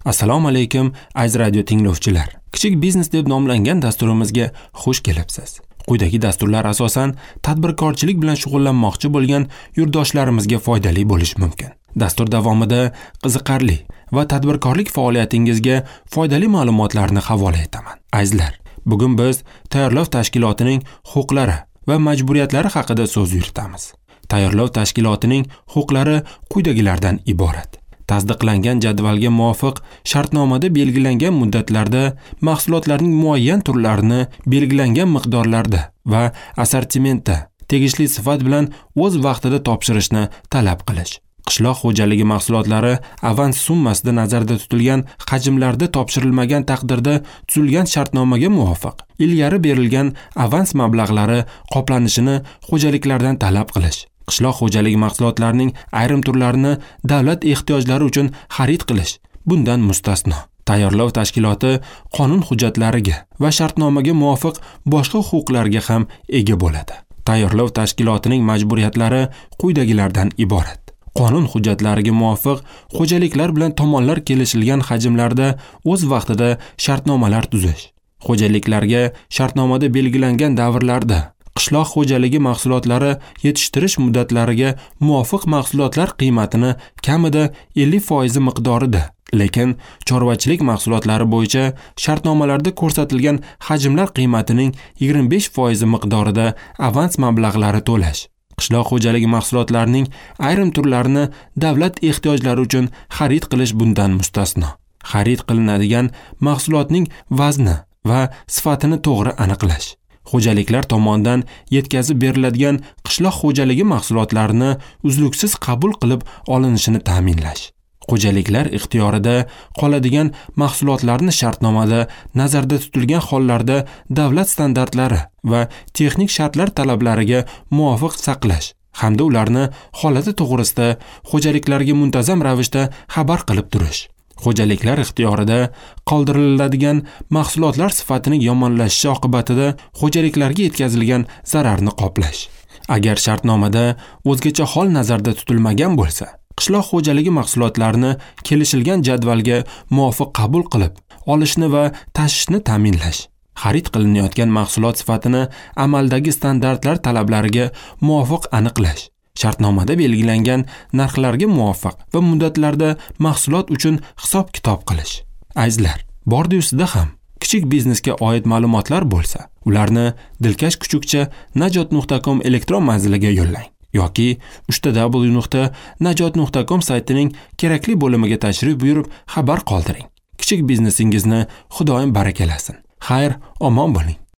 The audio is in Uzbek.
Assalomu alaykum, aziz radio tinglovchilar. Kichik biznes deb nomlangan dasturimizga xush kelibsiz. Quyidagi dasturlar asosan tadbirkorchilik bilan shug'ullanmoqchi bo'lgan yurtdoshlarimizga foydali bo'lishi mumkin. Dastur davomida qiziqarli va tadbirkorlik faoliyatingizga foydali ma'lumotlarni havola etaman. Azizlar, bugun biz tayyorlov tashkilotining huquqlari va majburiyatlari haqida so'z yuritamiz. Tayyorlov tashkilotining huquqlari quyidagilardan iborat. Tasdiqlangan jadvalga muvofiq shartnomada belgilangan muddatlarda mahsulotlarning muayyan turlarini belgilangan miqdorlarda va assortimentda tegishli sifat bilan o'z vaqtida topshirishni talab qilish. Qishloq xo'jaligi mahsulotlari avans summasida nazarda tutilgan hajmlarda topshirilmagan taqdirda tuzilgan shartnomaga muvofiq ilgari berilgan avans mablag'lari qoplanishini xo'jaliklardan talab qilish. Qishloq xo'jaligi mahsulotlarining ayrim turlarini davlat ehtiyojlari uchun xarid qilish bundan mustasno. Tayyorlov tashkiloti qonun hujjatlariga va shartnomaga muvofiq boshqa huquqlarga ham ega bo'ladi. Tayyorlov tashkilotining majburiyatlari quyidagilardan iborat. Qonun hujjatlariga muvofiq xo'jaliklar bilan tomonlar kelishilgan hajmlarda o'z vaqtida shartnomalar tuzish. Xo'jaliklarga shartnomada belgilangan davrlarda qishloq xo'jaligi mahsulotlari yetishtirish muddatlariga muvofiq mahsulotlar qiymatini kamida 50% miqdorida, lekin chorvachilik mahsulotlari bo'yicha shartnomalarda ko'rsatilgan hajmlar qiymatining 25% miqdorida avans mablag'lari to'lash. Qishloq xo'jaligi mahsulotlarining ayrim turlarini davlat ehtiyojlari uchun xarid qilish bundan mustasno. Xarid qilinadigan mahsulotning vazni va sifatini to'g'ri aniqlash. Xo'jaliklar tomonidan yetkazib beriladigan qishloq xo'jaligi mahsulotlarini uzluksiz qabul qilib olinishini ta'minlash. Xo'jaliklar ixtiyorida qoladigan mahsulotlarni shartnomada nazarda tutilgan hollarda davlat standartlari va texnik shartlar talablariga muvofiq saqlash hamda ularni holati to'g'risida xo'jaliklarga muntazam ravishda xabar qilib turish. Xo'jaliklar ixtiyorida qoldiriladigan mahsulotlar sifatining yomonlashishi oqibatida xo'jaliklarga yetkazilgan zararni qoplash. Agar shartnomada o'zgacha hol nazarda tutilmagan bo'lsa, qishloq xo'jaligi mahsulotlarini kelishilgan jadvalga muvofiq qabul qilib olishni va tashishni ta'minlash. Xarid qilinayotgan mahsulot sifatini amaldagi standartlar talablariga muvofiq aniqlash. Shartnomada belgilangan narxlarga muvofiq va muddatlarda mahsulot uchun hisob-kitob qilish. Azizlar, bordi-yu sizda ham kichik biznesga oid ma'lumotlar bo'lsa, ularni dilkash kuchukcha najot.com elektron manziliga yo'llang yoki www.najot.com saytining kerakli bo'limiga tashrif buyurib xabar qoldiring. Kichik biznesingizni Xudoyim barakalasin. Xayr, omon bo'ling.